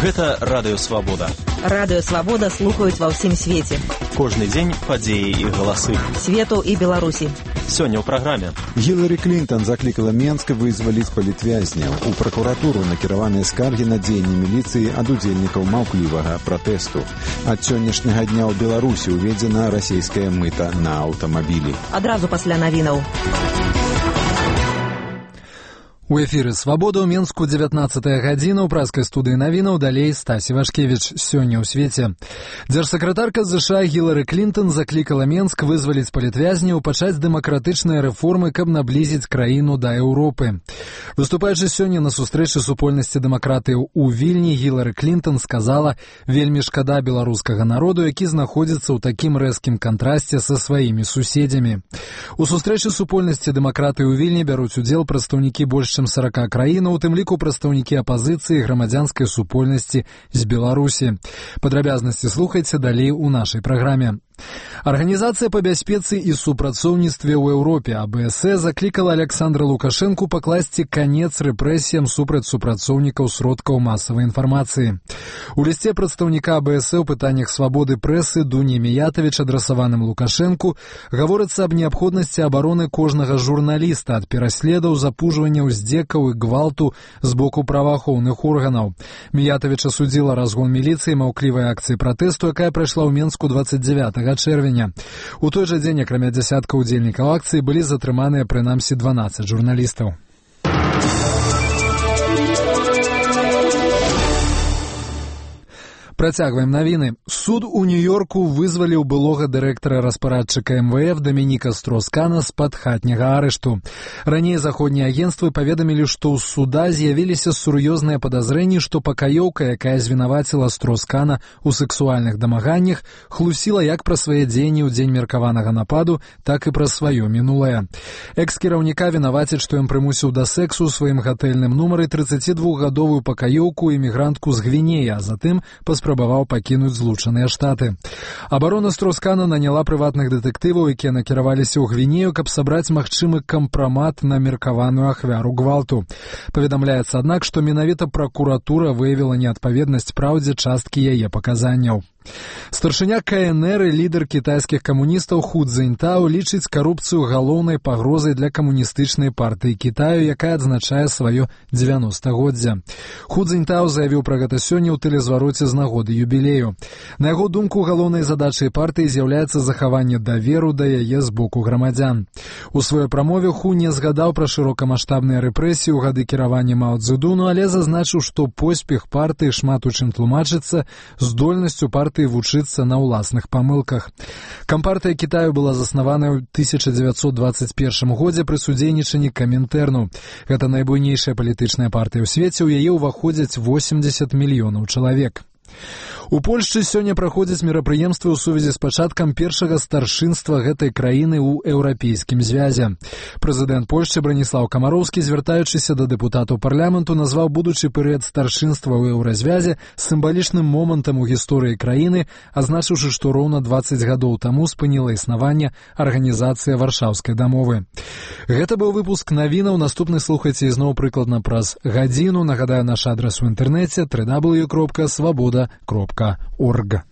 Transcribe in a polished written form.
Гэта Радыё Свабода. Радыё Свабода слухаюць ва ўсім свеце. Кожны дзень падзеі і галасы. Свету і Беларусі. Сёння ў праграме. Гіларі Клінтон заклікала Менск вызваліць палітвязняў. У пракуратуру накіраваныя скаргі на дзеянні міліцыі ад удзельнікаў маўклівага пратэсту. Ад сённяшняга дня ў Беларусі ўведзена расійская мыта на аўтамабілі. Адразу пасля навінаў. У эфіры «Свабода» ў Менску 19-я гадзіна. У праскай студыі навінаў далей Стасі Вашкевіч. Сёння ў свеце. Дзяржсакратарка США Гіларі Клінтон заклікала Менск вызваліць палітвязняў, пачаць дэмакратычныя рэформы, каб наблізіць краіну да Еўропы. Выступаючы сёння на сустрэчы супольнасці дэмакратыяў у Вільні, Гіларі Клінтон сказала: «Вельмі шкада беларускага народу, які знаходзіцца ў такім рэзкім кантрасце са сваімі суседзямі». У сустрэчы супольнасці дэмакратыі ў Вільні бяруць удзел прадстаўнікі больш чым 40 краінаў, у тым ліку прадстаўнікі апазіцыі і грамадзянскай супольнасці з Беларусі. Падрабязнасці слухайце далей у нашай праграме. Арганізацыя па бяспецы і супрацоўніцтве ў Еўропе АБСЭ заклікала Александра Лукашэнку пакласці канец рэпрэсіям супраць супрацоўнікаў сродкаў масавай інфармацыі. У лісце прадстаўніка АБСЭ ў пытаннях свабоды прэсы Дуні Міятавіч, адрасаваным Лукашэнку, гаворыцца аб неабходнасці абароны кожнага журналіста ад пераследаў, запужвання, уздзекаў і гвалту з боку праваахоўных органаў. Міятавіч асудзіла разгон міліцыі маўклівай акцыі пратэсту, якая прайшла ў Менску 29 чэрвеня. У той жа дзень, акрамя дзясятка ўдзельнікаў акцыі, былі затрыманыя прынамсі 12 журналістаў. Працягваем навіны. Суд у Нью-Йорку вызваліў былога дырэктара распарадчыка МВФ Дамініка Строскана з-пад хатняга арышту. Раней заходнія агенцтвы паведамілі, што ў суда з'явіліся сур'ёзныя падазрэнні, што пакаёўка, якая звінаваціла Строскана ў сексуальных дамаганнях, хлусіла як пра свае дзеянні ў дзень меркаванага нападу, так і пра сваё мінулае. Экс-кіраўніка вінавацяць, што ён прымусіў да сэксу ў сваім гатэльным нумары 32-гадовую пакаёўку імігрантку з Гвінеі, а затым паспрабаваў пакінуць Злучаныя Штаты. Абарона Строскана наняла прыватных дэтэктываў, якія накіраваліся ў Гвінею, каб сабраць магчымы кампрамат на меркаваную ахвяру гвалту. Паведамляецца, аднак, што менавіта пракуратура выявіла неадпаведнасць праўдзе часткі яе паказанняў. Старшыня КНР і лідар кітайскіх камуністаў Ху Цзіньтао лічыць карупцыю галоўнай пагрозай для камуністычнай партыі Кітаю, якая адзначае сваё 90-годдзе. Ху Цзіньтао заявіў пра гэта сёння ў тэлезвароце з нагоды юбілею. На яго думку, галоўнай задачай партыі з'яўляецца захаванне даверу да яе з боку грамадзян. У сваёй прамове Ху не згадаў пра шырокамаштабныя рэпрэсіі ў гады кіравання Мао Цзэдуну, але зазначыў, што поспех партыі шмат у чым тлумачыцца здольнасцю партыі вучыцца на ўласных памылках. Кампартыя Кітаю была заснавана ў 1921 годзе пры судзейнічанні Камінтэрну. Гэта найбуйнейшая палітычная партыя ў свеце, у яе ўваходзяць 80 мільёнаў чалавек. У Польшчы сёння праходзяць мерапрыемствы ў сувязі з пачаткам першага старшынства гэтай краіны ў еўрапейскім звязе. Прэзідэнт Польшчы Браніслаў Камароўскі, звяртаючыся да дэпутатаў парламенту, назваў будучы перыяд старшынства ў еўразвязе сімвалічным момантам у гісторыі краіны, азначыўшы, што роўна 20 гадоў таму спыніла існаванне арганізацыя Варшаўскай дамовы. Гэта быў выпуск навінаў. Наступны слухайце ізноў прыкладна праз гадзіну. Нагадаю, наш адрас у інтэрнэце www.swaboda.org.